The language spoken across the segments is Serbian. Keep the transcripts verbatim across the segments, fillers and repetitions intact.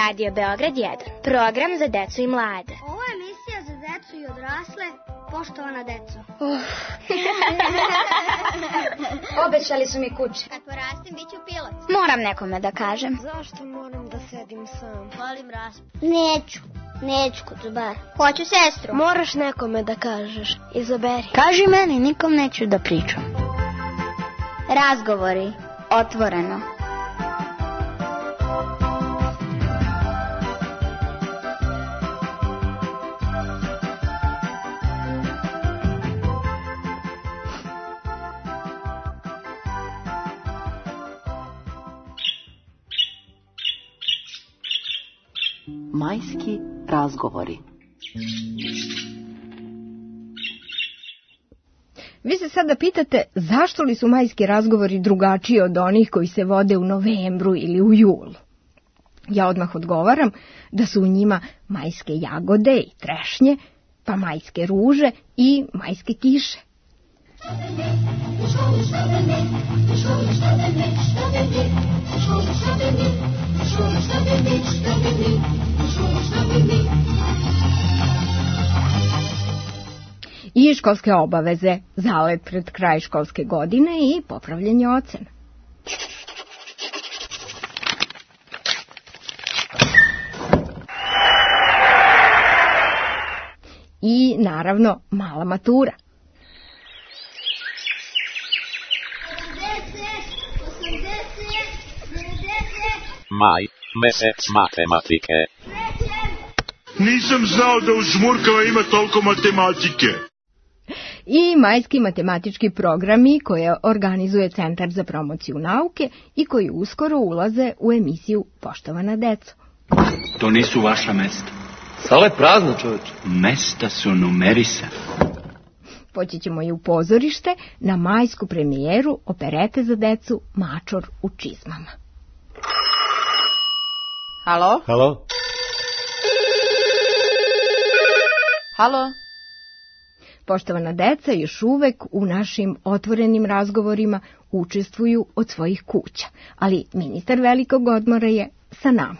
Radio Beograd jedan, program za decu i mlade. Ovo je emisija za decu i odrasle, poštovana deco. Uh. Obećali su mi kuće. Kad porastim, bit ću pilot. Moram nekome da kažem. Zašto moram da sedim sam? Volim raspad. Neću, neću kod bar. Hoću sestru. Moraš nekome da kažeš. Izaberi. Kaži meni, nikom neću da pričam. Razgovori, otvoreno. Majski razgovori. Vi se sada pitate zašto li su majski razgovori drugačiji od onih koji se vode u novembru ili u julu. Ja odmah odgovaram da su u njima majske jagode i trešnje, pa majske ruže i majske kiše. I školske obaveze, zalet pred kraj školske godine i popravljanje ocena. I naravno mala matura. Maj, mesec matematike. Nisam znao da u Žmurkama ima toliko matematike. I majski matematički programi koje organizuje Centar za promociju nauke i koji uskoro ulaze u emisiju Poštovana deco. To nisu vaša mesta. Sala je prazna, čoveče. Mesta su numerisana. Poći ćemo i u pozorište na majsku premijeru operete za decu Mačor u čizmama. Halo? Halo? Halo? Poštovana deca još uvek u našim otvorenim razgovorima učestvuju od svojih kuća, ali ministar velikog odmora je sa nama.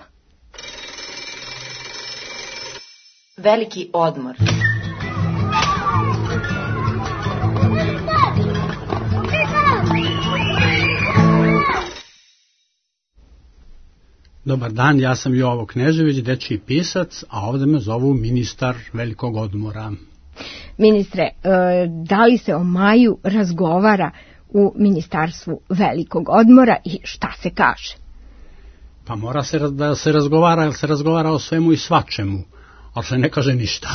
Veliki odmor. Dobar dan, ja sam Jovo Knežević, dečiji pisac, a ovdje me zovu ministar velikog odmora. Ministre, da li se o maju razgovara u ministarstvu velikog odmora i šta se kaže? Pa mora se da se razgovara, jer se razgovara o svemu i svačemu, ali se ne kaže ništa.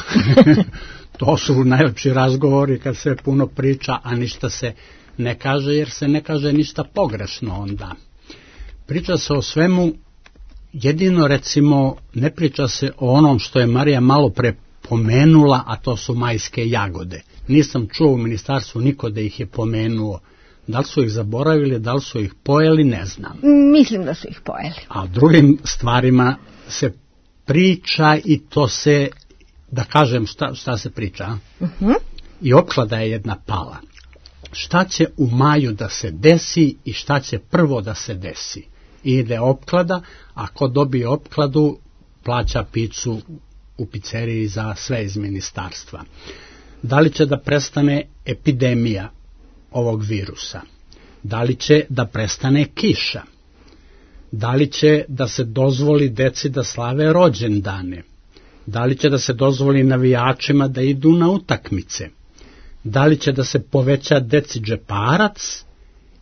To su najlepši razgovori kad se puno priča, a ništa se ne kaže, jer se ne kaže ništa pogrešno onda. Priča se o svemu, jedino recimo ne priča se o onom što je Marija malo pre pomenula, a to su majske jagode. Nisam čuo u ministarstvu niko da ih je pomenuo. Da li su ih zaboravili, da li su ih pojeli, ne znam. Mislim da su ih pojeli. A drugim stvarima se priča i to se, da kažem šta, šta se priča. Uh-huh. I opklada je jedna pala. Šta će u maju da se desi i šta će prvo da se desi? I ide opklada, a ko dobije opkladu plaća picu u pizzeriji za sve iz ministarstva. Da li će da prestane epidemija ovog virusa? Da li će da prestane kiša? Da li će da se dozvoli deci da slave rođendane? Da li će da se dozvoli navijačima da idu na utakmice? Da li će da se poveća deci džeparac?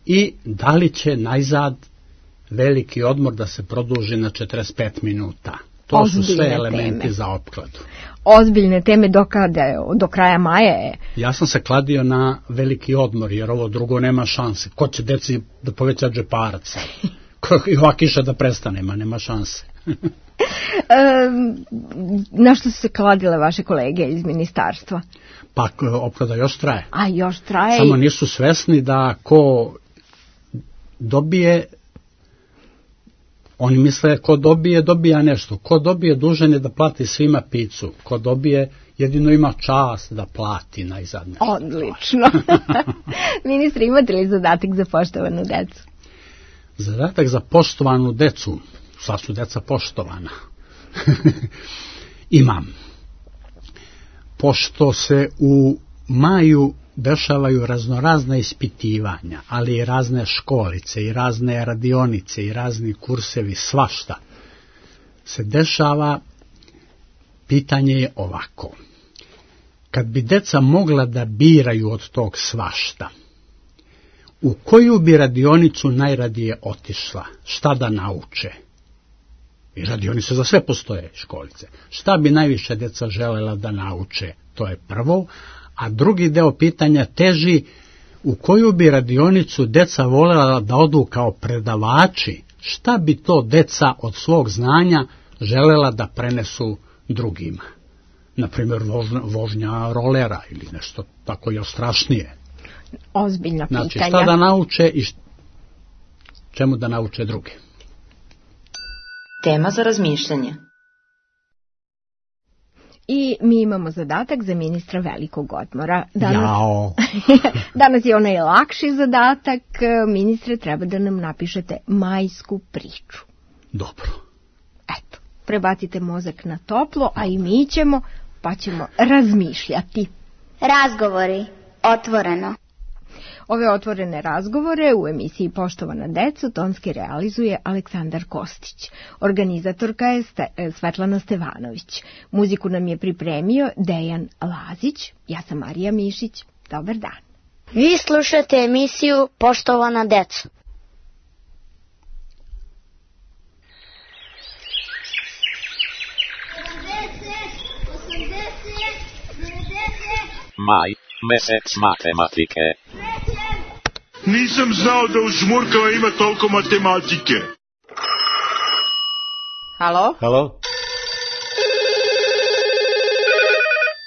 I da li će najzad veliki odmor da se produži na četrdeset pet minuta? To Ozbiljne su sve elementi teme za opkladu. Ozbiljne teme do kada, do kraja maja je. Ja sam se kladio na veliki odmor, jer ovo drugo nema šanse. Ko će deci da poveća džeparac? I ova kiša da prestane, ma nema šanse. e, na što su se kladile vaše kolege iz ministarstva? Pa opklada još traje. A još traje. Samo nisu svesni da ko dobije, oni misle ko dobije, dobija nešto. Ko dobije dužan je da plati svima picu. Ko dobije jedino ima čast da plati najzad nešto. Odlično. Ministre, imate li zadatak za poštovanu decu? Zadatak za poštovanu decu, sva su deca poštovana. Imam. Pošto se u maju dešavaju raznorazna ispitivanja, ali i razne školice, i razne radionice, i razni kursevi, svašta se dešava, pitanje je ovako. Kad bi deca mogla da biraju od tog svašta, u koju bi radionicu najradije otišla? Šta da nauče? I radionice za sve postoje, školice. Šta bi najviše deca želela da nauče? To je prvo. A drugi deo pitanja teži, u koju bi radionicu deca voljela da odu kao predavači? Šta bi to deca od svog znanja želela da prenesu drugima? Naprimjer, vožnja, vožnja rolera ili nešto tako još strašnije. Ozbiljna pitanja. Znači, šta da nauče i št... čemu da nauče druge? Tema za razmišljanje. I mi imamo zadatak za ministra velikog odmora. Danas, Jao! danas je onaj lakši zadatak. Ministre, treba da nam napišete majsku priču. Dobro. Eto, prebacite mozak na toplo, a i mi ćemo, pa ćemo razmišljati. Razgovori. Otvoreno. Ove otvorene razgovore u emisiji Poštovana deco tonski realizuje Aleksandar Kostić. Organizatorka je Svetlana Stevanović. Muziku nam je pripremio Dejan Lazić. Ja sam Marija Mišić. Dobar dan. Vi slušate emisiju Poštovana deco. Maj, mesec matematike. Nisam znao da u Žmurkama ima toliko matematike. Halo? Halo?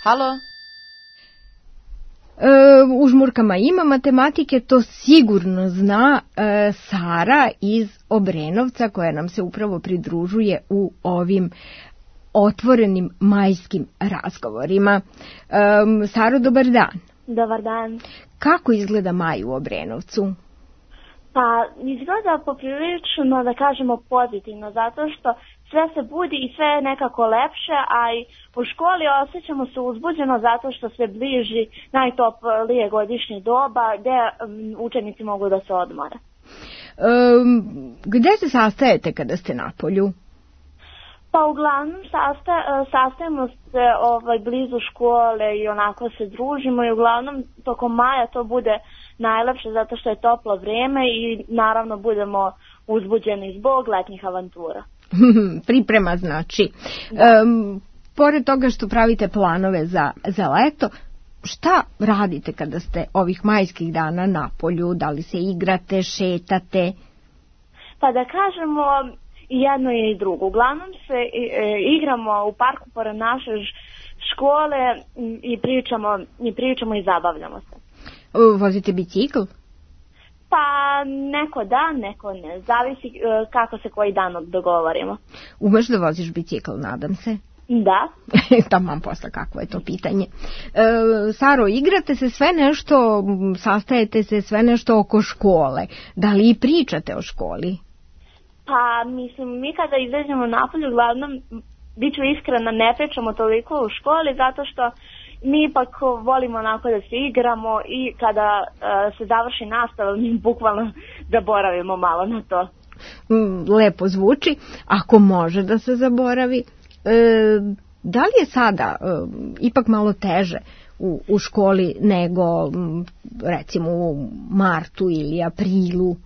Halo? E, u Žmurkama ima matematike, to sigurno zna e, Sara iz Obrenovca, koja nam se upravo pridružuje u ovim otvorenim majskim razgovorima. E, Saro, dobar dan. Dobar dan. Kako izgleda maj u Obrenovcu? Pa izgleda poprilično, da kažemo, pozitivno, zato što sve se budi i sve je nekako lepše, a i u školi osjećamo se uzbuđeno zato što se bliži najtoplije godišnje doba gde um, učenici mogu da se odmore. Um, gde se sastajete kada ste na polju? Pa uglavnom sasta, sastajemo se ovaj, blizu škole i onako se družimo i uglavnom tokom maja to bude najlepše zato što je toplo vrijeme i naravno budemo uzbuđeni zbog letnjih avantura. Priprema znači. Um, pored toga što pravite planove za, za leto, šta radite kada ste ovih majskih dana na polju? Da li se igrate, šetate? Pa da kažemo i jedno je i drugo. Uglavnom se e, igramo u parku pored naše škole i pričamo, i pričamo i zabavljamo se. Vozite bicikl? Pa neko da, neko ne. Zavisi e, kako se koji dan dogovorimo. Umeš da voziš bicikl, nadam se? Da. Taman posla, kakvo je to pitanje. E, Saro, igrate se sve nešto, sastajete se sve nešto oko škole. Da li i pričate o školi? Pa, mislim, mi kada izađemo napolje, uglavnom, bit ću iskrena, ne pričamo toliko u školi, zato što mi ipak volimo onako da se igramo i kada uh, se završi nastava, mi bukvalno zaboravimo malo na to. Lepo zvuči, ako može da se zaboravi. E, da li je sada e, ipak malo teže u, u školi nego, recimo, u martu ili aprilu?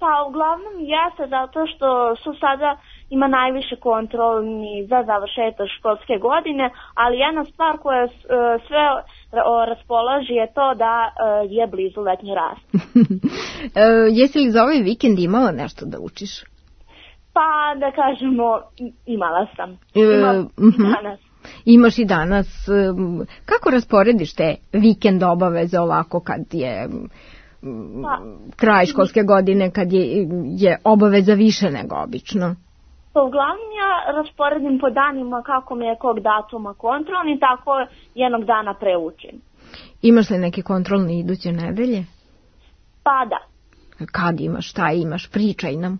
Pa uglavnom jeste zato što su sada ima najviše kontrolni za završetak školske godine, ali jedna stvar koja uh, sve raspolaži je to da uh, je blizu letnji rast. uh, jesi li za ovaj vikend imala nešto da učiš? Pa da kažemo imala sam. Imam uh, uh-huh. danas. Imaš i danas. Kako rasporediš te vikend obaveze ovako kad je... Pa, kraj školske godine kad je, je obaveza više nego obično? Pa uglavnom ja rasporedim po danima kako mi je kog datuma kontrolni, tako jednog dana preučim. Imaš li neke kontrolne iduće nedelje? Pa da. Kad imaš, šta imaš, pričaj nam.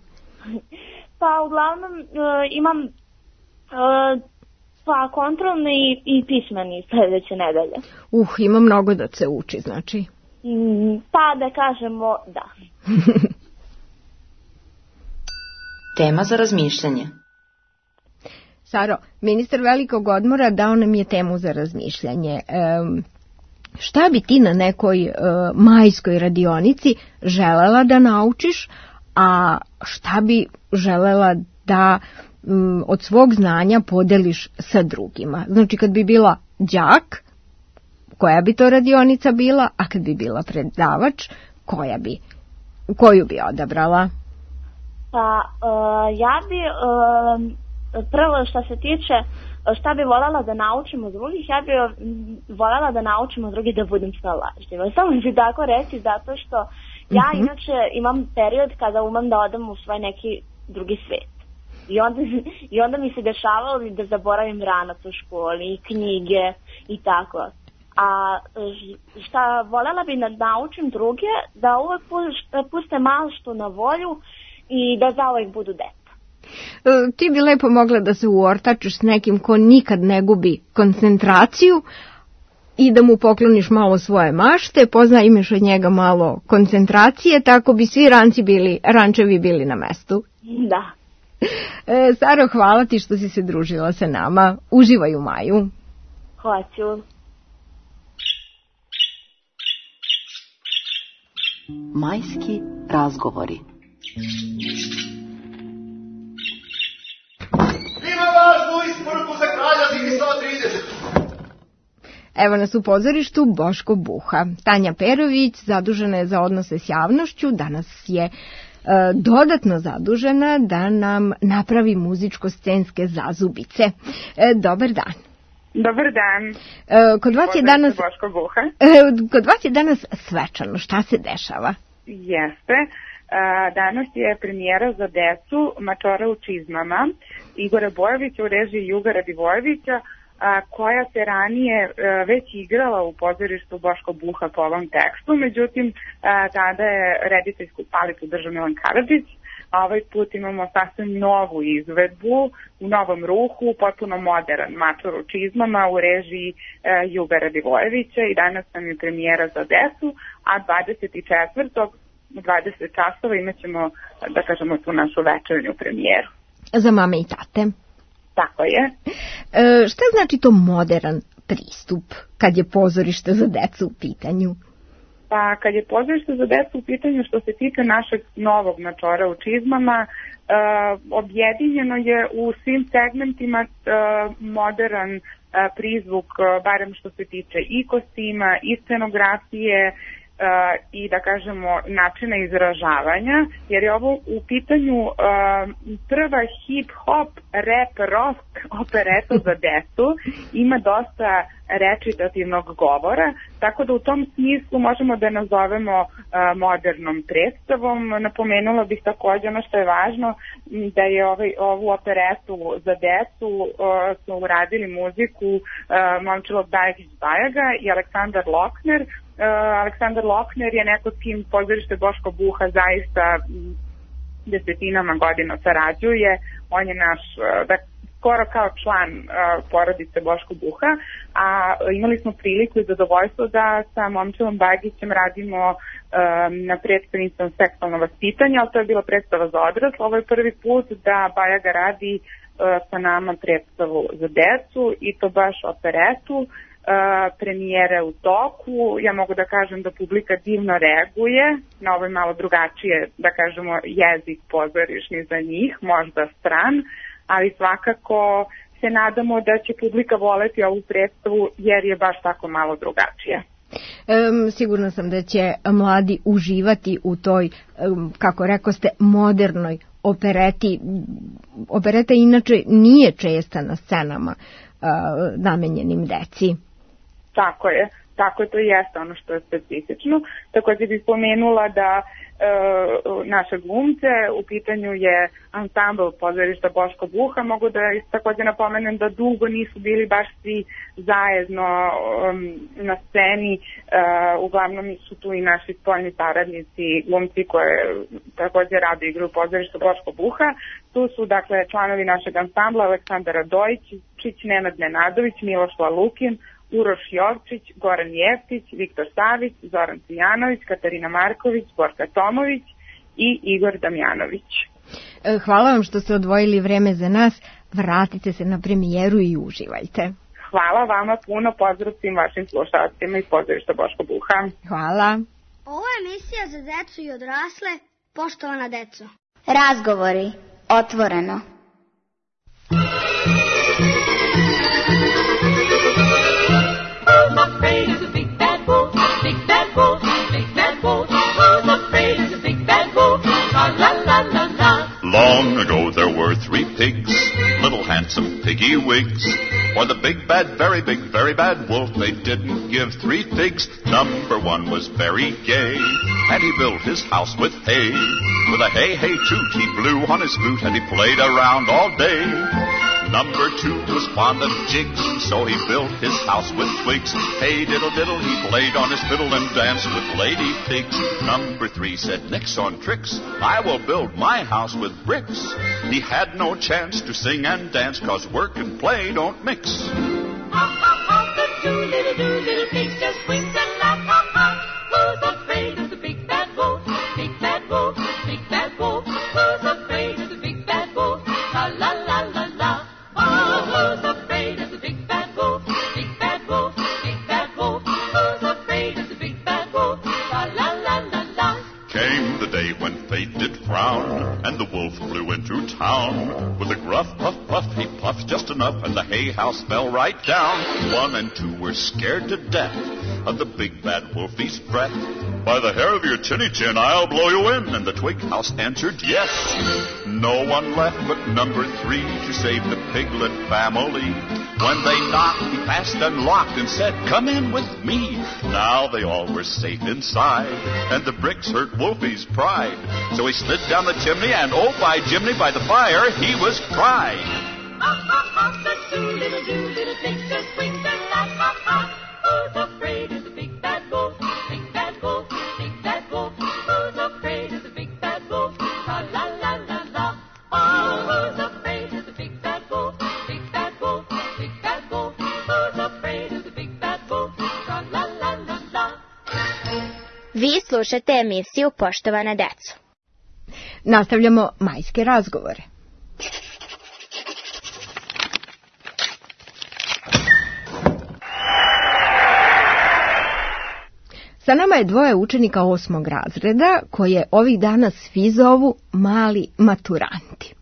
Pa uglavnom uh, imam Uh, pa kontrolni i, i pismeni sledeće nedelje. Uh, ima mnogo da se uči, znači. Mm, pa da kažemo da. Tema za razmišljanje. Saro, ministar velikog odmora dao nam je temu za razmišljanje. Um, šta bi ti na nekoj uh, majskoj radionici želela da naučiš, a šta bi želela da um, od svog znanja podeliš sa drugima? Znači, kad bi bila đak, koja bi to radionica bila, a kad bi bila predavač, koja bi, koju bi odabrala? Pa, uh, ja bi... Uh... Prvo što se tiče šta bi voljela da naučim od drugih, ja bi voljela da naučim od drugih da budem snalažljiva. Samo ću tako reći zato što ja uh-huh. inače imam period kada umem da odem u svoj neki drugi svet. I onda, i onda mi se dešavalo da zaboravim ranac u školi i knjige i tako. A šta voljela bi da naučim druge, da uvek puste malo što na volju i da zauvek budu dete. Ti bi lepo mogla da se uortačeš s nekim ko nikad ne gubi koncentraciju i da mu pokloniš malo svoje mašte, pozajmiš od njega malo koncentracije, tako bi svi ranci bili, rančevi bili na mestu. Da. E, Saro, hvala ti što si se družila sa nama. Uživaj u maju. Hoću. Majski razgovori. Evo nas u pozorištu Boško Buha. Tanja Perović zadužena je za odnose s javnošću, danas je e, dodatno zadužena da nam napravi muzičko-scenske zazubice. E, dobar dan. Dobar dan. E, kod vas je danas Boško Buha. E, kod vas je danas svečano. Šta se dešava? Jeste. Danas je premijera za decu Mačora u čizmama Igora Bojovića u režiji Juga Radivojevića, koja se ranije već igrala u pozorištu Boško Buha po ovom tekstu, međutim tada je rediteljsku palicu držao Milan Karadžić, a ovaj put imamo sasvim novu izvedbu u novom ruhu, potpuno modern Mačor u čizmama u režiji Juga Radivojevića i danas nam je premijera za decu, a dvadeset četvrtog u dvadeset časova imat ćemo, da kažemo, tu našu večernju premijeru. Za mame i tate. Tako je. E, šta znači to modern pristup kad je pozorište za decu u pitanju? Pa kad je pozorište za decu u pitanju, što se tiče našeg novog Mačora u čizmama, e, objedinjeno je u svim segmentima e, modern e, prizvuk, e, barem što se tiče i kostima, i scenografije, Uh, i da kažemo načina izražavanja, jer je ovo u pitanju uh, prva hip-hop, rap, rock opereta za decu, ima dosta recitativnog govora, tako da u tom smislu možemo da nazovemo uh, modernom predstavom. Napomenula bih također ono što je važno, da je ovaj, ovu operetu za decu uh, smo uradili muziku uh, Momčilo Bajagić-Bajaga i Aleksandar Lokner. Uh, Aleksandar Lokner je neko s kim pozorište Boško Buha zaista desetinama godina sarađuje. On je naš, uh, da, skoro kao član uh, porodice Boško Buha, a imali smo priliku i zadovoljstvo da sa Momčilom Bagićem radimo um, na predstavnicom seksualno vaspitanje, ali to je bila predstava za odrasle. Ovo je prvi put da Bajaga radi uh, sa nama predstavu za decu i to baš operetu. Uh, premijere u toku, ja mogu da kažem da publika divno reaguje na ovaj malo drugačije, da kažemo, jezik pozorišni za njih, možda stran, ali svakako se nadamo da će publika voleti ovu predstavu jer je baš tako malo drugačija. Um, sigurna sam da će mladi uživati u toj, um, kako rekoste, modernoj opereti. Opereta inače nije česta na scenama uh, namenjenim deci. Tako je, tako je, to jeste ono što je specifično. Također bih pomenula da naše glumce. U pitanju je ansambl pozorišta Boško Buha. Mogu da također napomenem da dugo nisu bili baš svi zajedno um, na sceni. Uh, uglavnom su tu i naši spoljni saradnici, glumci koje također rade igru u pozorištu Boško Buha. Tu su dakle članovi našeg ansambla Aleksandar Radojičić, Nenad Nenadović, Miloš Lalukin, Uroš Jovčić, Goran Jeftić, Viktor Savić, Zoran Cvijanović, Katarina Marković, Borka Tomović i Igor Damjanović. Hvala vam što ste odvojili vreme za nas. Vratite se na premijeru i uživajte. Hvala vama puno, pozdrav svim vašim slušalcima iz pozorišta Boško Buha. Hvala. Ovo je emisija za decu i odrasle, poštovana deco. Razgovori, otvoreno. Afraid of the big bad wolf, big bad wolf, big bad wolf. Who's afraid of the big bad wolf? La la la la la. Long ago there were three pigs, little handsome piggy wigs. For the big bad, very big, very bad wolf, they didn't give three figs. Number one was very gay, and he built his house with hay. With a hey hey toot, he blew on his flute, and he played around all day. Number two was fond of jigs, so he built his house with twigs. Hey diddle diddle, he played on his fiddle and danced with lady pigs. Number three said, nix on tricks, I will build my house with bricks. He had no chance to sing and dance, cause work and play don't mix. Ha ha ha, the two little do little pigs just winked and laughed. Ha ha, who's afraid of the big bad wolf? Big bad wolf, big bad wolf. Who's afraid of the big bad wolf? La la la la la. Oh, who's afraid of the big bad wolf? Big bad wolf, big bad wolf. Who's afraid of the big bad wolf? La la la la la. Came the day when fate did frown, and the wolf flew into town. With a gruff puff puff, he puffed just enough, and the hay house fell right down. One and two were scared to death of the big bad wolfie's breath. By the hair of your chinny chin, I'll blow you in. And the twig house answered yes. No one left but number three to save the piglet family. When they knocked, he fast unlocked and said, come in with me. Now they all were safe inside, and the bricks hurt Wolfie's pride. So he slid down the chimney, and oh, by Jiminy, by the fire, he was cried. Ha ha ha, the two little do little pigs just winked and laughed. Ha ha, who's afraid of the big bad wolf? Big bad wolf, big bad wolf. Who's afraid of the big bad wolf? La la la la la. Oh, who's afraid of the big bad wolf? Big bad wolf, big bad wolf. Who's afraid of the big bad wolf? La la la la la. Vi slušate emisiju Poštovana deco. Nastavljamo majske razgovore. Sa nama je dvoje učenika osmog razreda koje ovih dana svi zovu mali maturanti.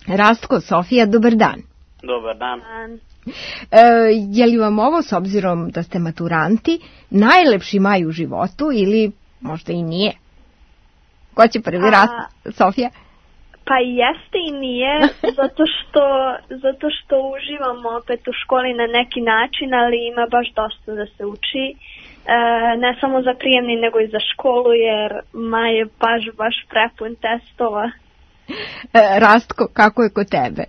Rastko, Sofija, dobar dan. Dobar dan. E, je li vam ovo, s obzirom da ste maturanti, najlepši maj u životu ili možda i nije? Ko će prvi rast, Sofija? Pa jeste i nije, zato što, zato što uživamo opet u školi na neki način, ali ima baš dosta da se uči. E, ne samo za prijemni, nego i za školu, jer maj je baš, baš prepun testova. E, Rastko, kako je kod tebe?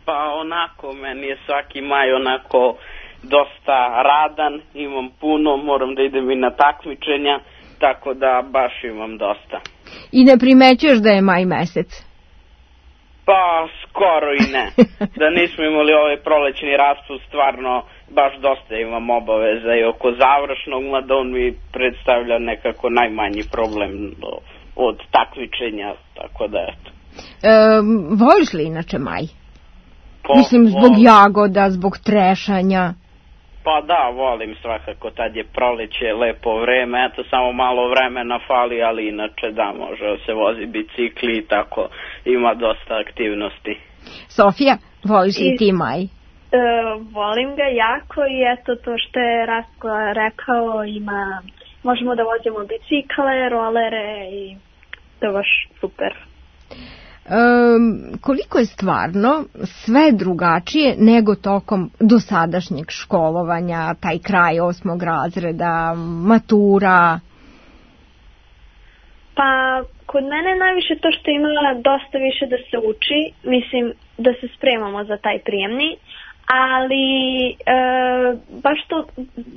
Pa onako, meni je svaki maj onako dosta radan, imam puno, moram da idem i na takmičenja, tako da baš imam dosta. I ne primećuješ da je maj mesec? Pa skoro i ne. Da nismo imali ovaj prolećni raspust, stvarno baš dosta imam obaveza i oko završnog, mada on mi predstavlja nekako najmanji problem od takmičenja, tako da eto. E, voliš li inače maj? Po, Mislim, zbog volim. Jagoda, zbog trešanja. Pa da, volim svakako, tad je proleće, lepo vreme, eto samo malo vremena fali, ali inače da, može se vozi bicikli i tako, ima dosta aktivnosti. Sofija, voliš li ti maj? E, volim ga jako i eto to što je Rastko rekao, ima, možemo da vozimo bicikle, rolere i to je baš super. Um, koliko je stvarno sve drugačije nego tokom dosadašnjeg školovanja, taj kraj osmog razreda, matura? Pa, kod mene je najviše to što ima dosta više da se uči, mislim da se spremamo za taj prijemni, ali e, baš to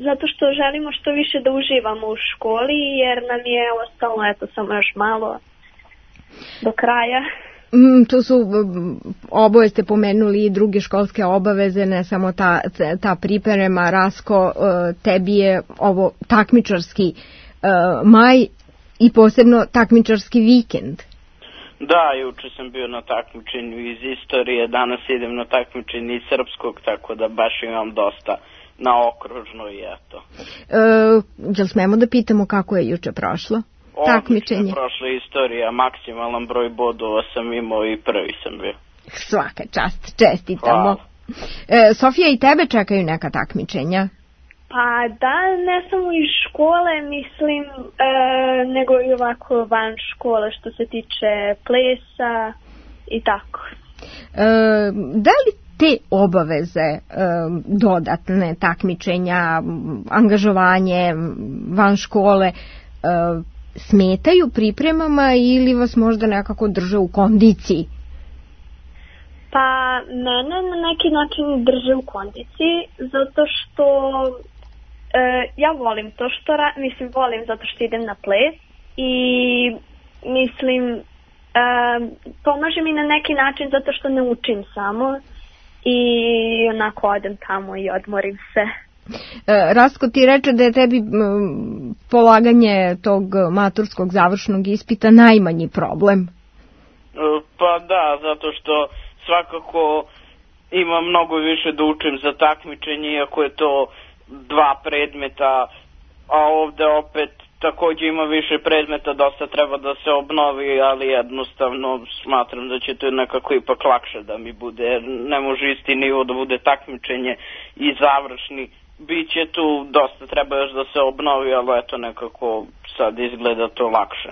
zato što želimo što više da uživamo u školi, jer nam je ostalo eto samo još malo do kraja. Mm, tu su, oboje ste pomenuli i druge školske obaveze, ne samo ta, ta priprema. Rasko, tebi je ovo takmičarski uh, maj i posebno takmičarski vikend. Da, juče sam bio na takmičenju iz istorije, danas idem na takmičenje iz srpskog, tako da baš imam dosta na okružno i eto. Uh, jel smemo da pitamo kako je juče prošlo? Takmičenje. Prošla istorija, maksimalan broj bodova sam imao i prvi sam bio. Svaka čast, čestitamo. E, Sofija, i tebe čekaju neka takmičenja? Pa da, ne samo iz škole, mislim, e, nego i ovako van škole što se tiče plesa i tako. E, da li te obaveze, e, dodatne takmičenja, angažovanje van škole, e, smetaju pripremama ili vas možda nekako drže u kondiciji? Pa mene na neki način drže u kondiciji zato što e, ja volim to što ra- mislim volim zato što idem na ples i mislim e, pomaže mi na neki način zato što ne učim samo i onako odem tamo i odmorim se. E, Rasko, ti reče da je tebi m, polaganje tog maturskog završnog ispita najmanji problem. Pa da, zato što svakako ima mnogo više da učim za takmičenje, iako je to dva predmeta, a ovde opet takođe ima više predmeta, dosta treba da se obnovi, ali jednostavno smatram da će to nekako ipak lakše da mi bude, jer ne može isti nivo da bude takmičenje i završni. Biće tu, dosta treba još da se obnovi, ali eto nekako sad izgleda to lakše.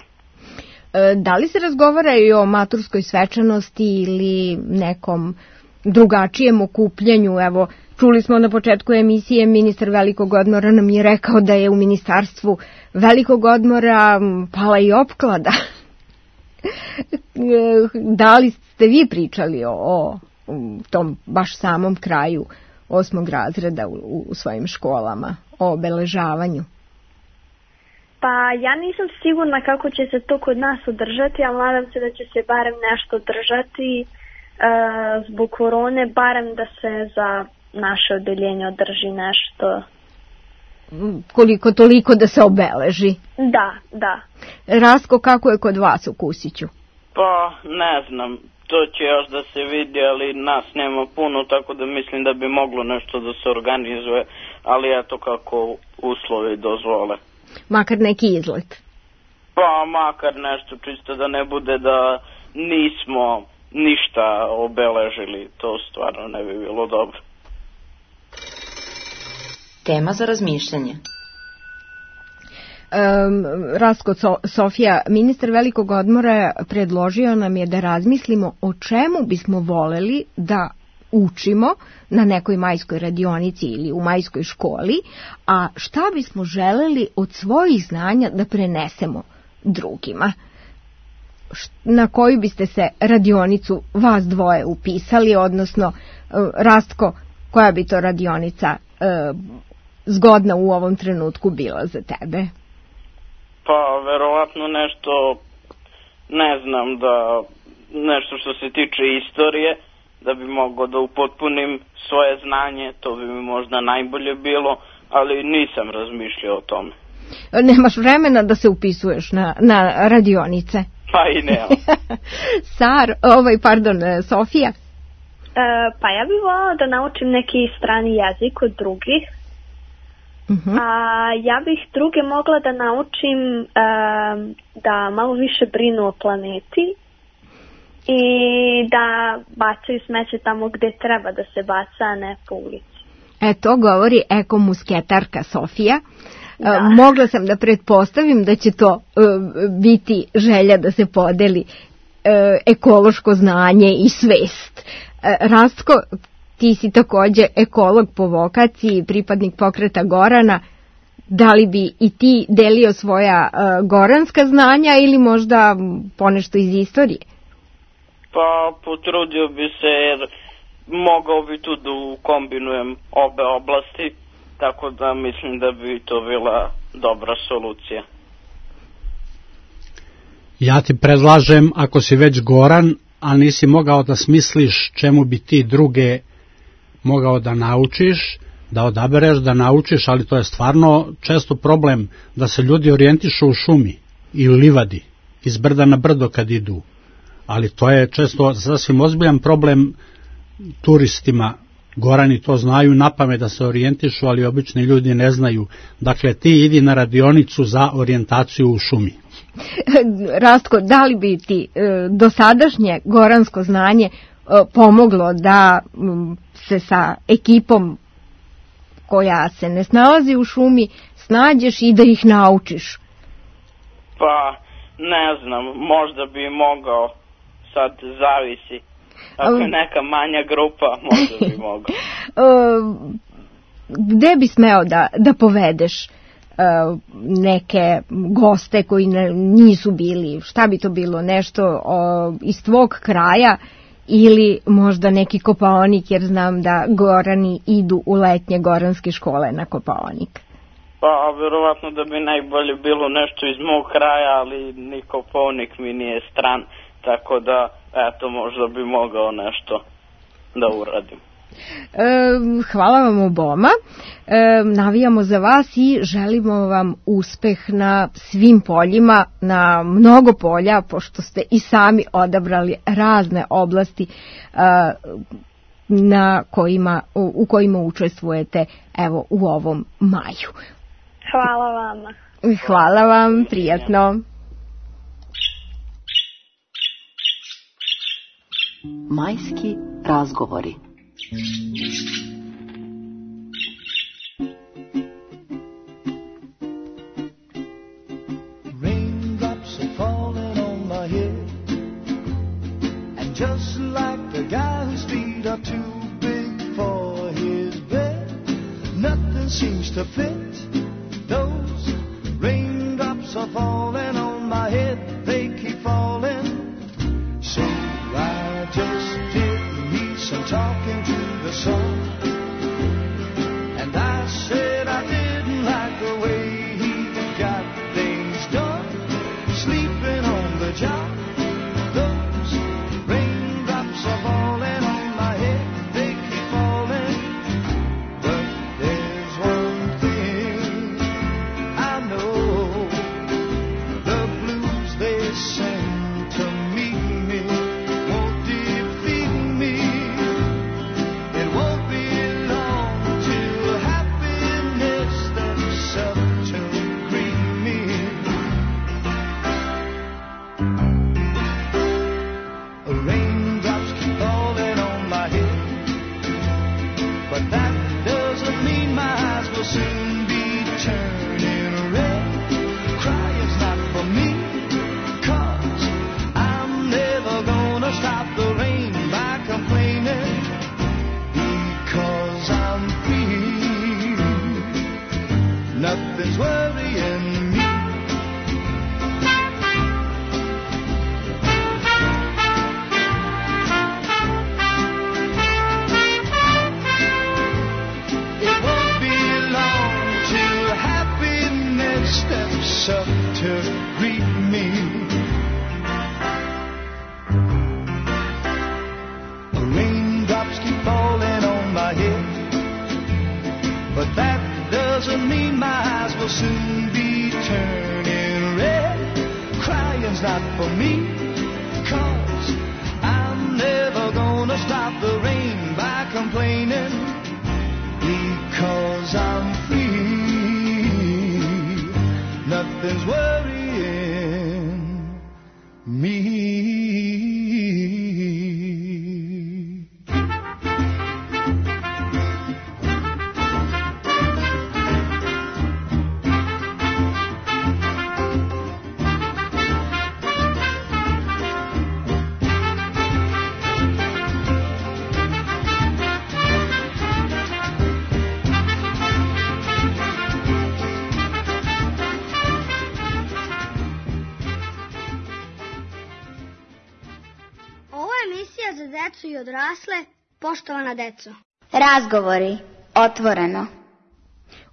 E, da li se razgovara i o maturskoj svečanosti ili nekom drugačijem okupljanju? Evo, čuli smo na početku emisije, ministar Velikog odmora nam je rekao da je u ministarstvu Velikog odmora pala i opklada. Da li ste vi pričali o, o tom baš samom kraju osmog razreda u, u svojim školama, o obeležavanju? Pa ja nisam sigurna kako će se to kod nas održati, ali nadam se da će se barem nešto održati e, zbog korone, barem da se za naše odeljenje održi nešto. Koliko toliko da se obeleži? Da, da. Rasko, kako je kod vas u Kusiću? Pa ne znam, to će još da se vidi, ali nas nema puno, tako da mislim da bi moglo nešto da se organizuje, ali eto kako uslovi dozvole. Makar neki izlet? Pa makar nešto, čisto da ne bude da nismo ništa obeležili, to stvarno ne bi bilo dobro. Tema za razmišljanje. Um, Rasko, so, Sofija, ministar Velikog odmora predložio nam je da razmislimo o čemu bismo voleli da učimo na nekoj majskoj radionici ili u majskoj školi, a šta bismo želeli od svojih znanja da prenesemo drugima. Na koju biste se radionicu vas dvoje upisali, odnosno Rastko, koja bi to radionica e, zgodna u ovom trenutku bila za tebe? Pa verovatno nešto, ne znam, da nešto što se tiče istorije, da bi mogao da upotpunim svoje znanje, to bi mi možda najbolje bilo, ali nisam razmišljao o tome. Nemaš vremena da se upisuješ na, na radionice? Pa i nema. Sar, ovaj, pardon, Sofija? E, pa ja bih volala da naučim neki strani jezik od drugih. Uh-huh. A ja bih druge mogla da naučim e, da malo više brinu o planeti i da bacaju smeće tamo gde treba da se baca, a ne po ulici. E, to govori ekomusketarka Sofija. Da. Mogla sam da pretpostavim da će to uh, biti želja da se podeli uh, ekološko znanje i svest. Uh, Rastko, ti si takođe ekolog po vokaciji, pripadnik pokreta Gorana. Da li bi i ti delio svoja uh, goranska znanja ili možda ponešto iz istorije? Pa potrudio bi se jer mogao bi tu da kombinujem obe oblasti, tako da mislim da bi to bila dobra solucija. Ja ti predlažem, ako si već Goran, a nisi mogao da smisliš čemu bi ti druge mogao da naučiš, da odabereš, da naučiš, ali to je stvarno često problem da se ljudi orijentišu u šumi i u livadi, iz brda na brdo kad idu. Ali to je često sasvim ozbiljan problem turistima. Gorani to znaju napamet da se orijentišu, ali obični ljudi ne znaju. Dakle, ti idi na radionicu za orijentaciju u šumi. Rastko, da li bi ti e, dosadašnje goransko znanje e, pomoglo da m, se sa ekipom koja se ne snalazi u šumi snađeš i da ih naučiš? Pa, ne znam, možda bi mogao, sad zavisi. Ako je neka manja grupa, možda bi mogao. Gde bi smeo da, da povedeš neke goste koji ne, nisu bili, šta bi to bilo, nešto o, iz tvog kraja ili možda neki Kopaonik, jer znam da Gorani idu u letnje goranske škole na Kopaonik? Pa, verovatno da bi najbolje bilo nešto iz mog kraja, ali ni Kopaonik mi nije stran, tako da, eto, možda bi mogao nešto da uradim. E, hvala vam oboma, e, navijamo za vas i želimo vam uspeh na svim poljima, na mnogo polja, pošto ste i sami odabrali razne oblasti e, na kojima, u, u kojima učestvujete evo u ovom maju. Hvala vama. Hvala vam, prijatno. Majski razgovori. Raindrops are falling on my head, and just like the guy whose feet are too big for his bed, nothing seems to fit. Those raindrops are falling on my head, they keep falling. So I just did me some talking to the sun, and I said I didn't like the way he got things done, sleeping on the job. Those raindrops are falling on my head, they keep falling. But there's one thing I know, the blues they send to meet me won't defeat me. It won't be long till happiness steps up to greet me. Raindrops keep falling on my head, but that doesn't mean my eyes will soon be turning red. Crying's not for me, 'cause I'm never gonna stop the rain by complaining, because I'm free. Nothing's worrying me. It won't be long till happiness steps up to greet me. Raindrops keep falling on my head, but that doesn't mean my eyes will soon be turning red. Crying's not for me, 'cause I'm never gonna stop the rain by complaining, because I'm free. Nothing's worrying me. Emisija za decu i odrasle, poštovana deco. Razgovori, otvoreno.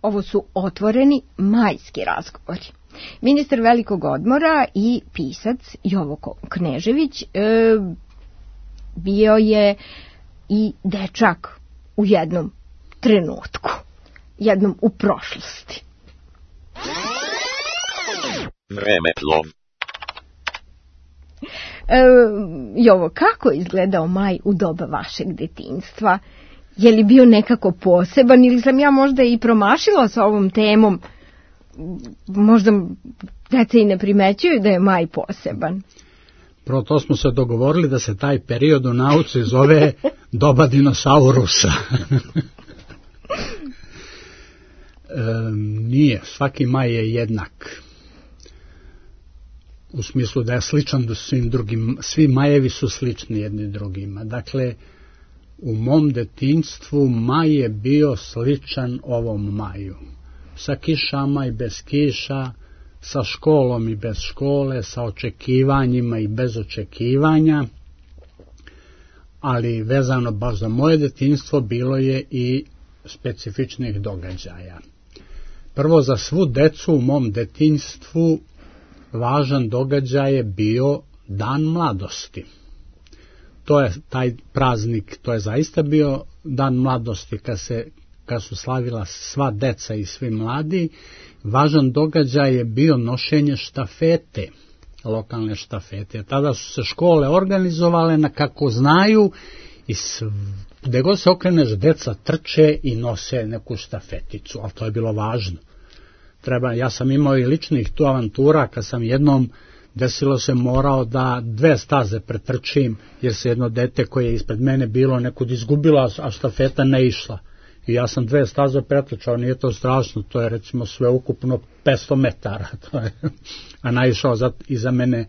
Ovo su otvoreni majski razgovori. Ministar velikog odmora i pisac Jovo Knežević e, bio je i dečak u jednom trenutku, jednom u prošlosti. Vremeplov. E, Jovo, kako je izgledao maj u doba vašeg detinjstva? Je li bio nekako poseban ili sam ja možda i promašila sa ovom temom? Možda deca i ne primećuju da je maj poseban. Prvo to smo se dogovorili da se taj period u nauci zove doba dinosaurusa. e, nije, svaki maj je jednak. U smislu da je sličan do svim drugim, svi majevi su slični jedni drugima. Dakle, u mom detinjstvu maj je bio sličan ovom maju. Sa kišama i bez kiša, sa školom i bez škole, sa očekivanjima i bez očekivanja, ali vezano baš za moje detinjstvo bilo je i specifičnih događaja. Prvo, za svu decu u mom detinjstvu važan događaj je bio Dan mladosti. To je taj praznik, to je zaista bio Dan mladosti kad se kad su slavila sva deca i svi mladi. Važan događaj je bio nošenje štafete, lokalne štafete. Tada su se škole organizovale na kako znaju i gde god se okreneš deca trče i nose neku štafeticu, ali to je bilo važno. Treba, ja sam imao i ličnih tu avantura kad sam jednom desilo se morao da dve staze pretrčim jer se jedno dete koje je ispred mene bilo nekud izgubila, a štafeta ne išla. I ja sam dve staze pretrčao, nije to strašno, to je recimo sve ukupno petsto metara. To je. A naišao za, iza mene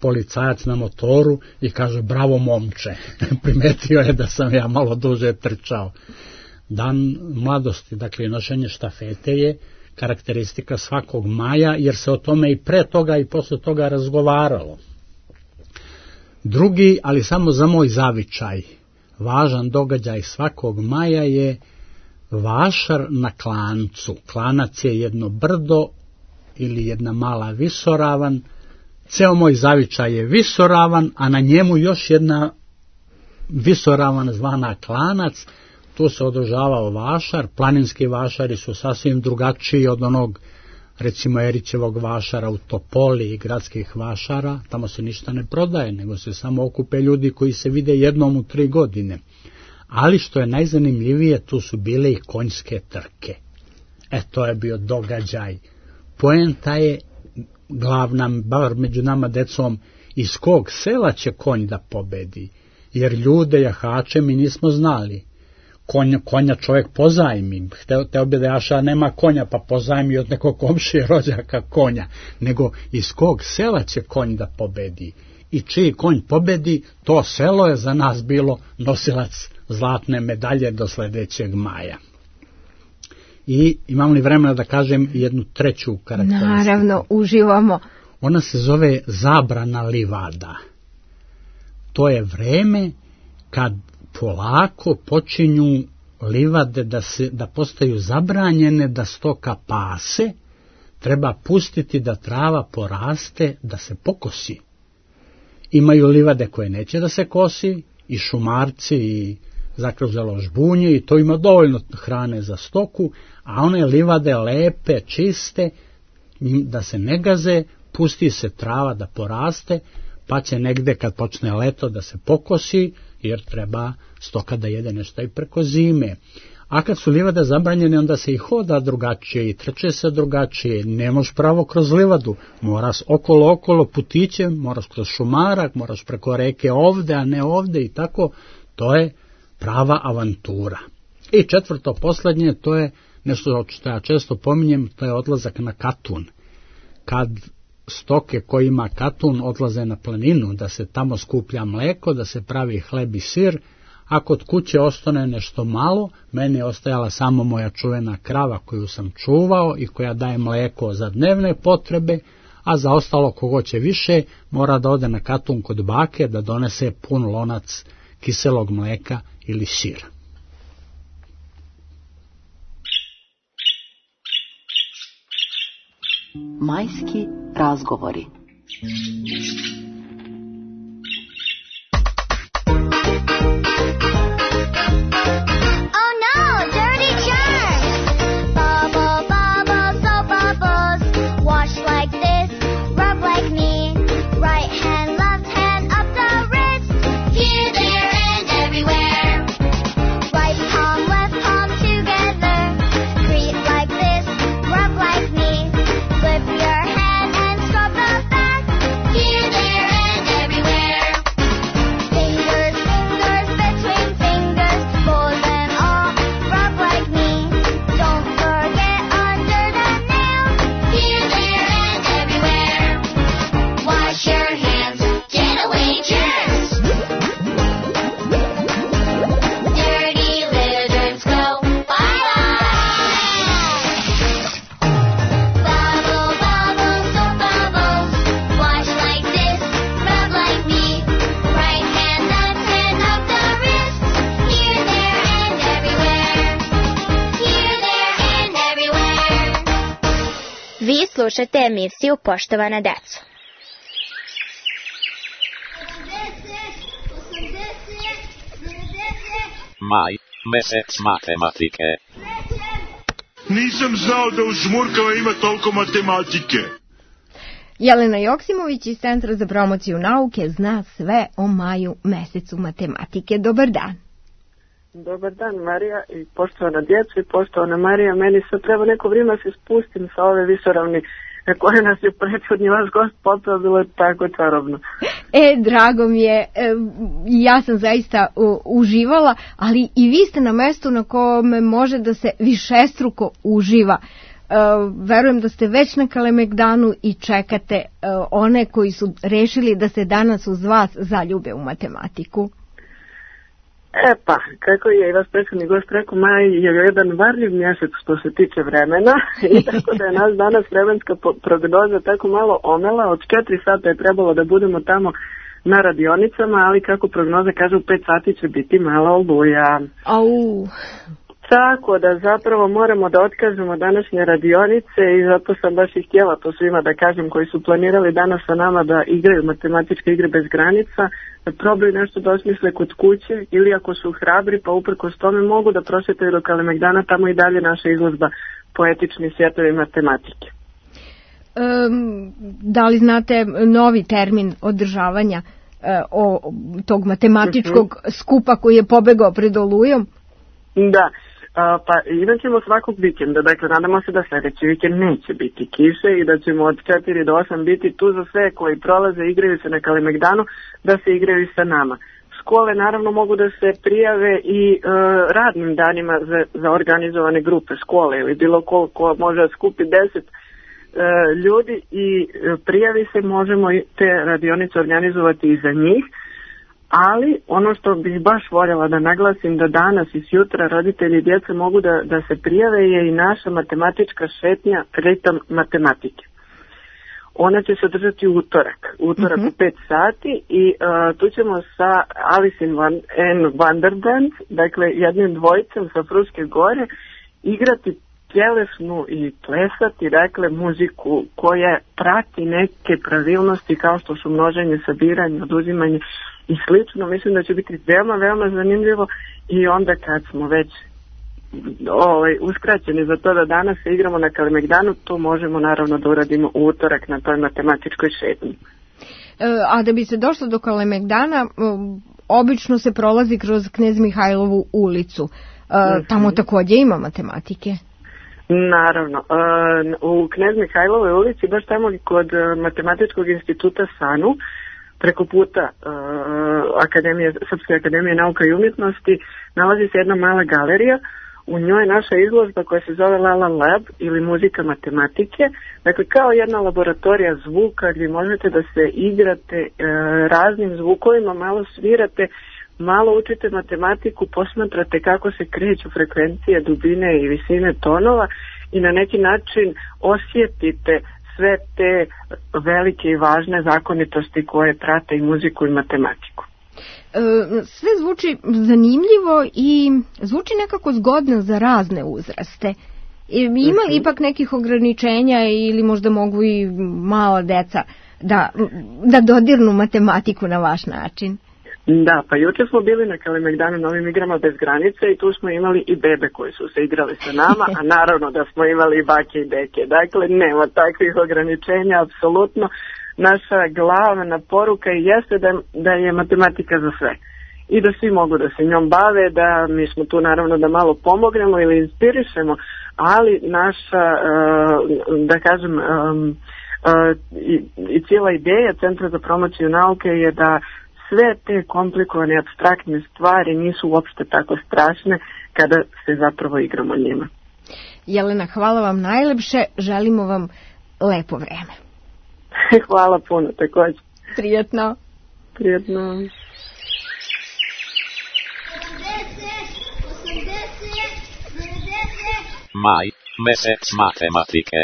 policajac na motoru i kaže bravo momče. Primetio je da sam ja malo duže trčao. Dan mladosti, dakle nošenje štafete je karakteristika svakog maja, jer se o tome i pre toga i posle toga razgovaralo. Drugi, ali samo za moj zavičaj, važan događaj svakog maja je vašar na klancu. Klanac je jedno brdo ili jedna mala visoravan. Ceo moj zavičaj je visoravan, a na njemu još jedna visoravan zvana klanac. Tu se održavao vašar. Planinski vašari su sasvim drugačiji od onog, recimo, Erićevog vašara u Topoli i gradskih vašara. Tamo se ništa ne prodaje, nego se samo okupe ljudi koji se vide jednom u tri godine. Ali što je najzanimljivije, tu su bile i konjske trke. E, to je bio događaj. Poenta je glavna, bar među nama decom, iz kog sela će konj da pobedi. Jer ljude jahače mi nismo znali. Konja, konja čovjek pozajmi. Hteo, teo bi da jaša nema konja, pa pozajmi od nekog komšije rođaka konja. Nego iz kog sela će konj da pobedi. I čiji konj pobedi, to selo je za nas bilo nosilac zlatne medalje do sledećeg maja. I imam li vremena da kažem jednu treću karakteristiku? Naravno, uživamo. Ona se zove zabrana livada. To je vreme kad polako počinju livade da, se, da postaju zabranjene, da stoka pase, treba pustiti da trava poraste, da se pokosi. Imaju livade koje neće da se kosi, i šumarci, i zakružalo žbunje, i to ima dovoljno hrane za stoku, a one livade lepe, čiste, da se ne gaze, pusti se trava da poraste, pa će negde kad počne leto da se pokosi, jer treba stoka da jede nešto i preko zime. A kad su livade zabranjene, onda se i hoda drugačije i trče se drugačije. Ne možeš pravo kroz livadu, moraš okolo okolo putićem, moraš kroz šumarak, moraš preko reke ovde, a ne ovde i tako. To je prava avantura. I četvrto, poslednje, to je nešto što ja često pominjem, to je odlazak na katun. Kad stoke koji ima katun odlaze na planinu, da se tamo skuplja mleko, da se pravi hleb i sir, a kod kuće ostane nešto malo, meni je ostajala samo moja čuvena krava koju sam čuvao i koja daje mleko za dnevne potrebe, a za ostalo kogo će više mora da ode na katun kod bake da donese pun lonac kiselog mleka ili sira. Majski razgovori. Vi slušate emisiju Poštovana deco. Maj, mesec matematike. Nisam znao da u Žmurkama ima toliko matematike. Jelena Joksimović iz Centra za promociju nauke zna sve o maju, mesecu matematike. Dobar dan. Dobar dan, Marija, i poštovana djeca i poštovana Marija. Meni sad treba neko vrijeme se spustim sa ove visoravni koje nas je prethodni vaš gost popeo, bilo je tako čarobno. E, drago mi je, e, ja sam zaista u, uživala, ali i vi ste na mestu na kome može da se višestruko uživa. E, verujem da ste već na Kalemegdanu i čekate e, one koji su rešili da se danas uz vas zaljube u matematiku. E pa, kako je i vas prethodni gost rekao, maj je jedan varljiv mjesec što se tiče vremena i tako da je nas danas vremenska prognoza tako malo omela. Od četiri sata je trebalo da budemo tamo na radionicama, ali kako prognoza kaže u pet sati će biti malo oluja. Au. Tako da zapravo moramo da otkažemo današnje radionice i zato sam baš i htjela to svima da kažem koji su planirali danas sa nama da igraju matematičke igre bez granica, da probaju nešto da osmisle kod kuće ili ako su hrabri pa uprkos tome mogu da prošetaju do Kalemegdana, tamo i dalje naša izložba Poetični svjetovi matematike. Um, da li znate novi termin održavanja uh, o tog matematičkog uh-huh. skupa koji je pobegao pred olujom? Da. Uh, pa imat ćemo svakog vikenda, dakle nadamo se da sljedeći vikend neće biti kiše i da ćemo od četiri do osam biti tu za sve koji prolaze, igraju se na Kalemegdanu, da se igraju sa nama. Škole naravno mogu da se prijave i uh, radnim danima za, za organizovane grupe škole ili bilo ko, ko može skupi deset uh, ljudi i uh, prijavi se, možemo te radionice organizovati i za njih. Ali ono što bih baš voljela da naglasim da danas i sutra roditelji i djeca mogu da, da se prijave je i naša matematička šetnja Ritam matematike. Ona će se održati u utorak, utorak uh-huh. u pet sati i uh, tu ćemo sa Alice in Wonderland, dakle jednim dvojicom sa Fruške gore, igrati tjelesnu i plesati, dakle, muziku koja prati neke pravilnosti kao što su množenje, sabiranje, oduzimanje i slično. Mislim da će biti veoma, veoma zanimljivo i onda kad smo već ovaj, uskraćeni za to da danas se igramo na Kalemegdanu, to možemo naravno da uradimo u utorak na toj matematičkoj šetnji. A da bi se došlo do Kalemegdana, obično se prolazi kroz Knez Mihajlovu ulicu. Mm-hmm. Tamo također ima matematike. Naravno. U Knez Mihajlovoj ulici, baš tamo kod Matematičkog instituta SANU, preko puta Akademije, Srpske akademije nauka i umjetnosti, nalazi se jedna mala galerija. U njoj je naša izložba koja se zove Lala Lab ili muzika matematike. Dakle, kao jedna laboratorija zvuka gdje možete da se igrate e, raznim zvukovima, malo svirate, malo učite matematiku, posmatrate kako se kreću frekvencije, dubine i visine tonova i na neki način osjetite sve te velike i važne zakonitosti koje prate i muziku i matematiku. Sve zvuči zanimljivo i zvuči nekako zgodno za razne uzraste. Ima li ipak nekih ograničenja ili možda mogu i mala deca da, da dodirnu matematiku na vaš način? Da, pa juče smo bili na Kalemegdanu na ovim igrama bez granice i tu smo imali i bebe koji su se igrali sa nama, a naravno da smo imali i bake i deke. Dakle, nema takvih ograničenja, apsolutno. Naša glavna poruka jeste da, da je matematika za sve i da svi mogu da se njom bave, da mi smo tu naravno da malo pomognemo ili inspirišemo, ali naša, da kažem, i, i cijela ideja Centra za promociju nauke je da sve te komplikovane, apstraktne stvari nisu uopšte tako strašne kada se zapravo igramo njima. Jelena, hvala vam najlepše, želimo vam lepo vreme. Hvala puno, također. Prijetno. Prijetno. Maj, mesec matematike.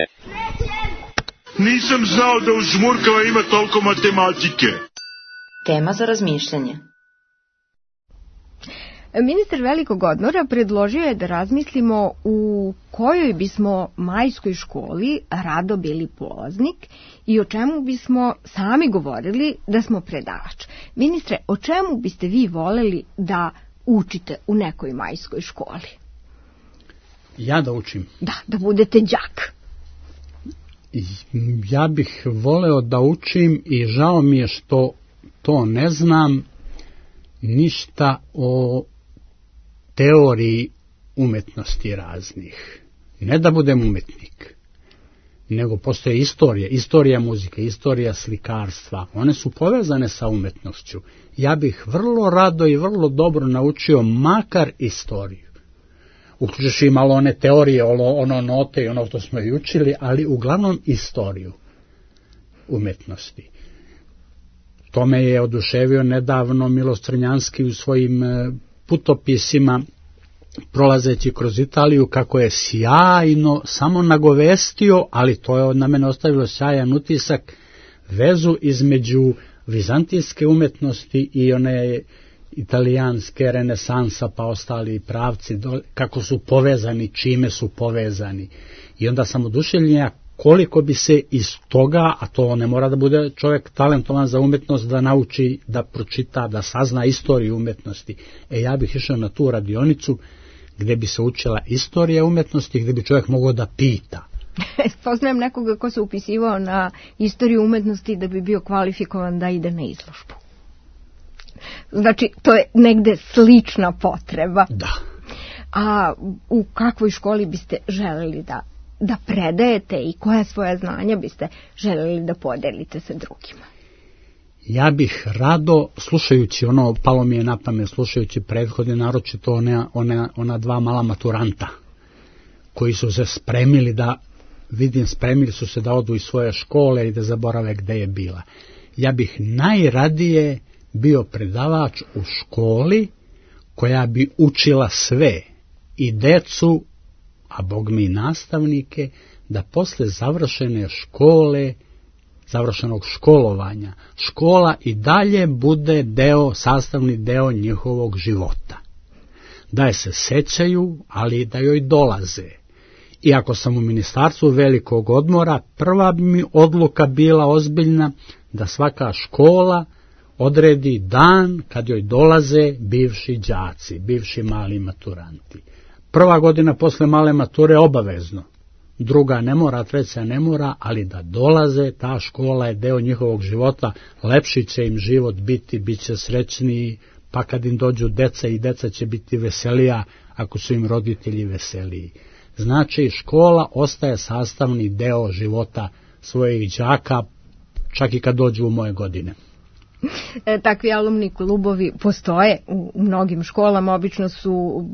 Nisam znao da u žmurkama ima toliko matematike. Tema za razmišljanje. Ministar Velikog Odmora predložio je da razmislimo u kojoj bismo majskoj školi rado bili polaznik i o čemu bismo sami govorili da smo predavač. Ministre, o čemu biste vi voleli da učite u nekoj majskoj školi? Ja da učim? Da, da budete đak. Ja bih voleo da učim i žao mi je što to ne znam ništa o teoriji umetnosti raznih. Ne da budem umetnik, nego postoje istorija, istorija muzike, istorija slikarstva. One su povezane sa umetnošću. Ja bih vrlo rado i vrlo dobro naučio makar istoriju. Uključujući i malo one teorije, ono note i ono što smo i učili, ali uglavnom istoriju umetnosti. To me je oduševio nedavno Miloš Crnjanski u svojim putopisima, prolazeći kroz Italiju, kako je sjajno samo nagovestio, ali to je na mene ostavilo sjajan utisak, vezu između vizantijske umetnosti i one italijanske, renesansa pa ostali pravci, kako su povezani, čime su povezani. I onda sam oduševljen koliko bi se iz toga, a to ne mora da bude čovjek talentovan za umetnost, da nauči, da pročita, da sazna istoriju umetnosti. E ja bih išao na tu radionicu gdje bi se učila istorija umetnosti, gdje bi čovjek mogao da pita. Poznajem nekoga ko se upisivao na istoriju umetnosti da bi bio kvalifikovan da ide na izložbu. Znači, to je negde slična potreba. Da. A u kakvoj školi biste želeli da da predajete i koja svoja znanja biste željeli da podelite sa drugima? Ja bih rado, slušajući ono, palo mi je na pamet, slušajući prethodne, naročito ona, ona, ona dva mala maturanta, koji su se spremili da, vidim, spremili su se da odu iz svoje škole i da zaborave gde je bila. Ja bih najradije bio predavač u školi koja bi učila sve, i decu, a bog mi nastavnike, da posle završene škole, završenog školovanja, škola i dalje bude deo, sastavni deo njihovog života. Da je se sećaju, ali da joj dolaze. I ako sam u Ministarstvu Velikog Odmora, prva bi mi odluka bila ozbiljna da svaka škola odredi dan kad joj dolaze bivši đaci, bivši mali maturanti. Prva godina posle male mature obavezno, druga ne mora, treća ne mora, ali da dolaze, ta škola je deo njihovog života, lepši će im život biti, bit će srećniji, pa kad im dođu deca i deca će biti veselija ako su im roditelji veseliji. Znači, škola ostaje sastavni deo života svojih đaka, čak i kad dođu u moje godine. Takvi alumni klubovi postoje u mnogim školama, obično su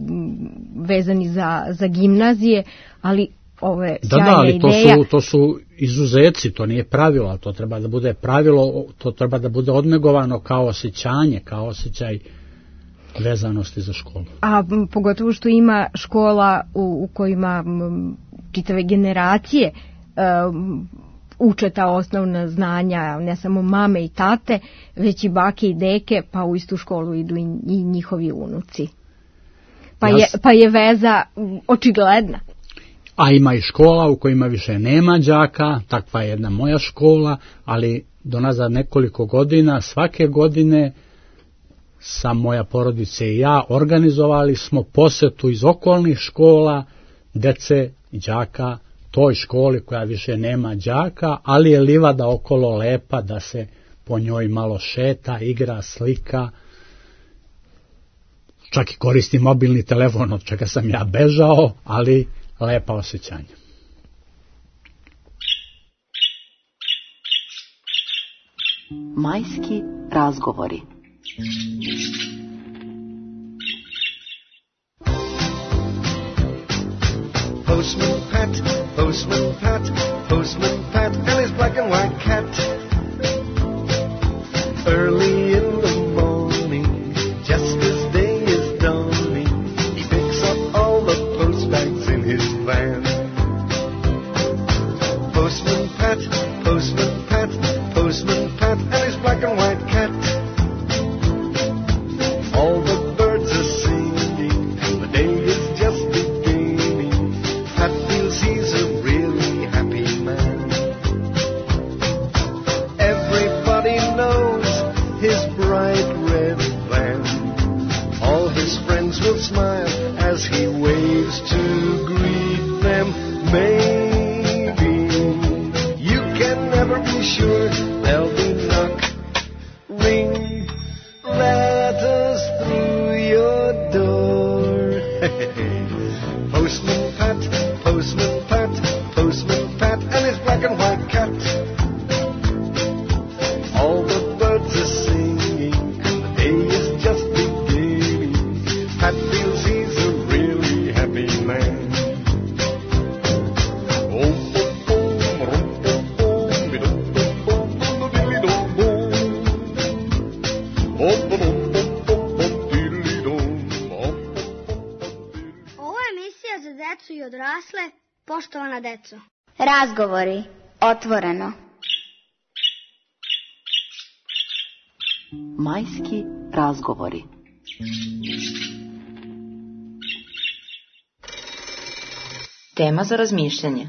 vezani za, za gimnazije, ali ovo je sjajna da, da, ali ideja. To su, to su izuzeci, to nije pravilo, to treba da bude pravilo, to treba da bude odnegovano kao osjećanje, kao osjećaj vezanosti za školu. A pogotovo što ima škola u, u kojima čitave generacije um, uče ta osnovna znanja, ne samo mame i tate, već i bake i deke, pa u istu školu idu i, i njihovi unuci. Pa, ja, je, pa je veza očigledna. A ima i škola u kojima više nema đaka, takva je jedna moja škola, ali do nazad nekoliko godina, svake godine sa moja porodice i ja organizovali smo posetu iz okolnih škola, dece i đaka, toj školi koja više nema đaka, ali je livada okolo lepa da se po njoj malo šeta, igra, slika, čak i koristi mobilni telefon, od čega sam ja bežao, ali lepa osjećanja. Majski razgovori. Postman Pat, Postman Pat, Postman Pat, and his black and white cat. Early in the morning, just as day is dawning, he picks up all the post bags in his van. Postman Pat, Postman Pat, Postman Pat, and his black and white cat. All the birds are singing, and the day is just beginning. Pat feels he's a really happy man. Everybody knows his bright red van. All his friends will smile as he waves to greet them. Maybe you can never be sure they'll be knock, ring, letters through your door. Postman Pat, Postman Pat, Postman Pat, and his black and white cat. All the birds are singing, and the day is just beginning. Pat feels he's a really happy man. Ovo je emisija za decu i odrasle, poštovana deco. Razgovori, otvoreno. Majski razgovori. Tema za razmišljanje.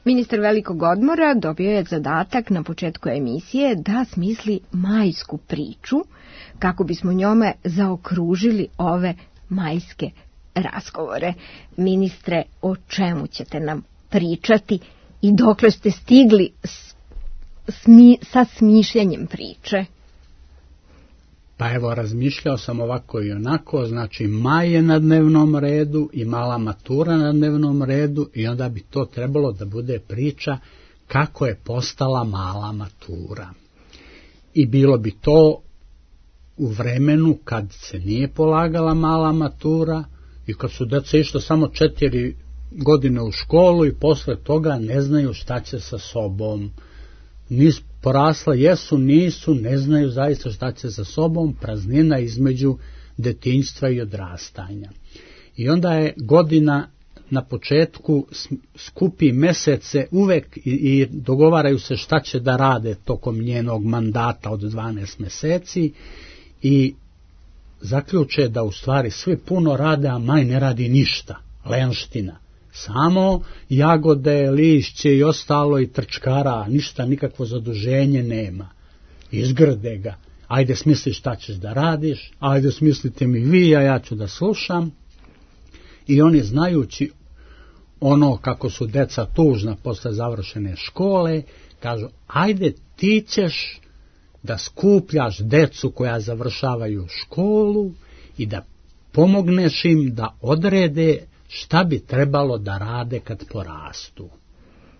Ministar velikog odmora dobio je zadatak na početku emisije da smisli majsku priču, kako bismo njome zaokružili ove majske razgovore. Ministre, o čemu ćete nam pričati i dokle ste stigli s, smi, sa smišljanjem priče? Pa evo, razmišljao sam ovako i onako, znači maj je na dnevnom redu i mala matura na dnevnom redu i onda bi to trebalo da bude priča kako je postala mala matura. I bilo bi to u vremenu kad se nije polagala mala matura i kad su deca išla samo četiri godine u školu i posle toga ne znaju šta će sa sobom. Nis porasla, jesu, nisu, ne znaju zaista šta će sa sobom, praznina između detinjstva i odrastanja. I onda je godina na početku skupi mesece uvek i, i dogovaraju se šta će da rade tokom njenog mandata od dvanaest meseci i zaključe da u stvari svi puno rade, a maj ne radi ništa, lenština. Samo jagode, lišće i ostalo i trčkara, ništa, nikakvo zaduženje nema. Izgrde ga. Ajde smisli šta ćeš da radiš, ajde smislite mi vi, a ja ću da slušam. I oni znajući ono kako su deca tužna posle završene škole, kažu ajde ti ćeš da skupljaš decu koja završavaju školu i da pomogneš im da odrede šta bi trebalo da rade kad porastu.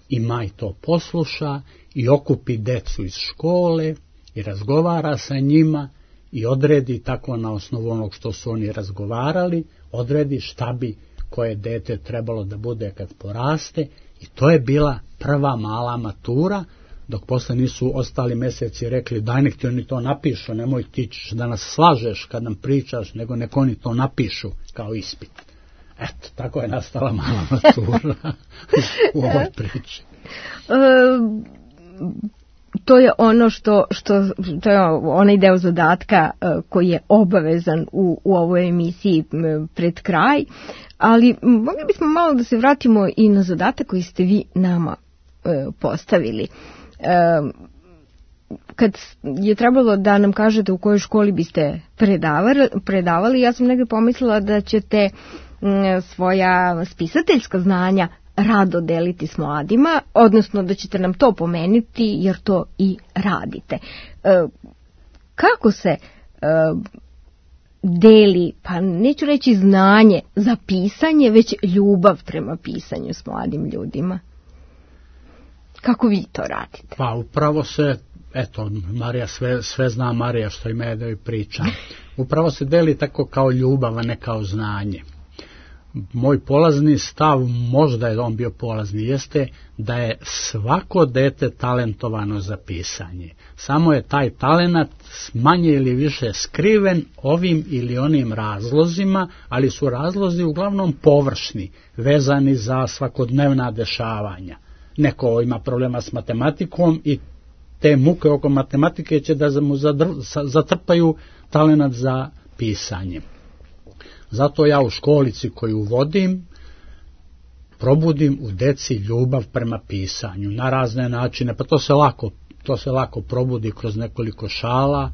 I maj to posluša i okupi decu iz škole i razgovara sa njima i odredi tako na osnovu onog što su oni razgovarali, odredi šta bi koje dete trebalo da bude kad poraste i to je bila prva mala matura, dok posle nisu ostali meseci rekli daj nek ti oni to napišu, nemoj ti da nas slažeš kad nam pričaš, nego nek oni to napišu kao ispit. Eto, tako je nastala mala matura u ovoj priči. E, to je ono što, što to je onaj deo zadatka koji je obavezan u, u ovoj emisiji pred kraj, ali mogli bismo malo da se vratimo i na zadatak koji ste vi nama e, postavili. E, kad je trebalo da nam kažete u kojoj školi biste predavali, predavali ja sam negdje pomislila da ćete m, svoja spisateljska znanja rado deliti s mladima, odnosno da ćete nam to pomenuti jer to i radite. E, kako se e, deli, pa neću reći znanje za pisanje, već ljubav prema pisanju s mladim ljudima? Kako vi to radite? Pa upravo se, eto, Marija sve, sve zna Marija što ima da joj priča. Upravo se deli tako kao ljubav, a ne kao znanje. Moj polazni stav, možda je on bio polazni, jeste da je svako dete talentovano za pisanje. Samo je taj talenat manje ili više skriven ovim ili onim razlozima, ali su razlozi uglavnom površni, vezani za svakodnevna dešavanja. Neko ima problema s matematikom i te muke oko matematike će da mu zatrpaju talenat za pisanje. Zato ja u školici koju vodim probudim u deci ljubav prema pisanju na razne načine, pa to se lako, to se lako probudi kroz nekoliko šala.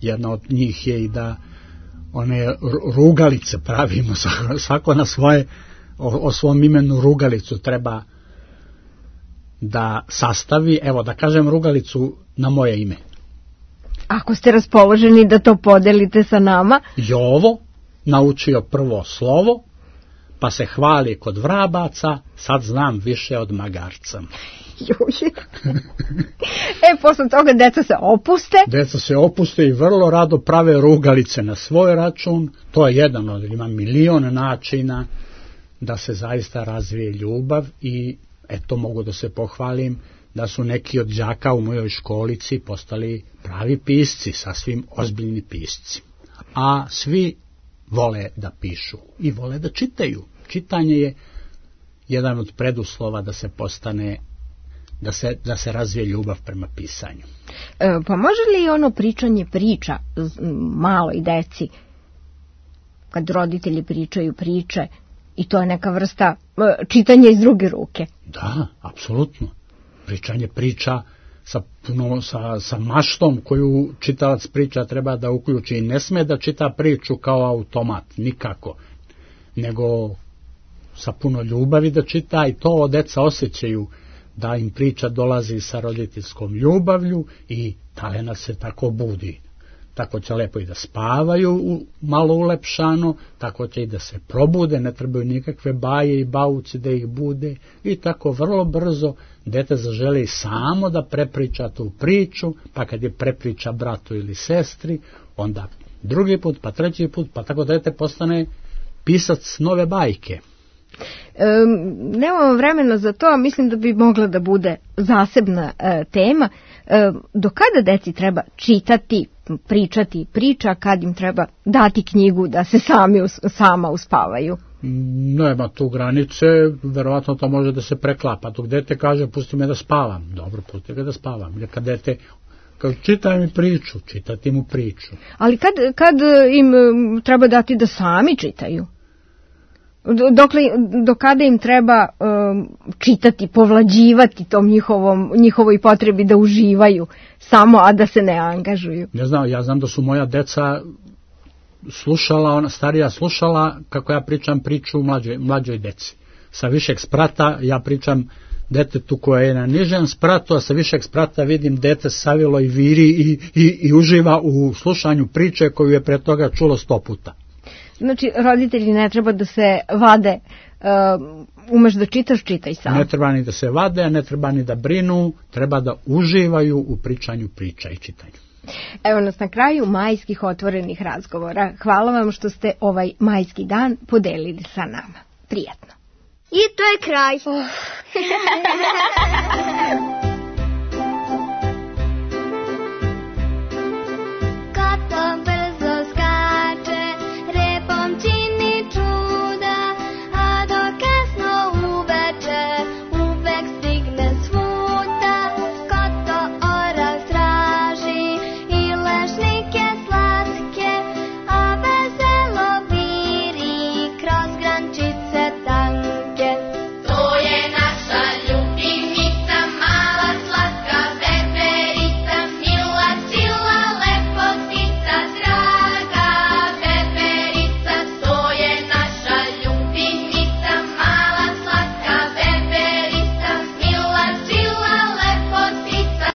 Jedna od njih je i da one rugalice pravimo, svako na svoje, o, o svom imenu rugalicu treba da sastavi, evo da kažem rugalicu na moje ime. Ako ste raspoloženi da to podelite sa nama. Jovo naučio prvo slovo, pa se hvali kod vrabaca, sad znam više od magarca. E, posle toga deca se opuste. Deca se opuste i vrlo rado prave rugalice na svoj račun. To je jedan od, ima milion načina da se zaista razvije ljubav i eto mogu da se pohvalim da su neki od đaka u mojoj školici postali pravi pisci, sasvim ozbiljni pisci. A svi vole da pišu i vole da čitaju. Čitanje je jedan od preduslova da se postane, da se, da se razvije ljubav prema pisanju. E, pa može li ono pričanje priča maloj deci, kad roditelji pričaju priče, i to je neka vrsta e, čitanja iz druge ruke? Da, apsolutno. Pričanje priča sa, puno, sa, sa maštom koju čitalac priča treba da uključi i ne sme da čita priču kao automat, nikako, nego sa puno ljubavi da čita i to deca osjećaju da im priča dolazi sa roditeljskom ljubavlju i talenat se tako budi. Tako će lepo i da spavaju malo ulepšano, tako će i da se probude, ne trebaju nikakve baje i bauci da ih bude i tako vrlo brzo dete zaželi samo da prepriča tu priču, pa kad je prepriča bratu ili sestri, onda drugi put, pa treći put, pa tako dete postane pisac nove bajke. E, nemamo vremena za to, a mislim da bi mogla da bude zasebna e, tema. E, do kada deci treba čitati, pričati priča, kad im treba dati knjigu da se sami us, sama uspavaju? Nema tu granice, verovatno to može da se preklapa. Dok dete kaže pusti me da spavam, dobro, pusti ga da spavam. Ili kad dete kaže čitaj mi priču, čitati mu priču. Ali kad, kad im treba dati da sami čitaju? Dokle, do kada im treba um, čitati, povlađivati tom njihovom, njihovoj potrebi da uživaju samo, a da se ne angažuju? Ne znam, ja znam da su moja deca slušala, ona starija slušala kako ja pričam priču mlađoj, mlađoj deci. Sa višeg sprata ja pričam detetu koje je na nižem spratu, a sa višeg sprata vidim dete savilo i viri i, i, i uživa u slušanju priče koju je pre toga čulo sto puta. Znači, roditelji ne treba da se vade, uh, umeš da čitaš, čitaj sam. Ne treba ni da se vade, ne treba ni da brinu, treba da uživaju u pričanju priča i čitanju. Evo nas na kraju majskih otvorenih razgovora. Hvala vam što ste ovaj majski dan podelili sa nama. Prijatno. I to je kraj. Oh.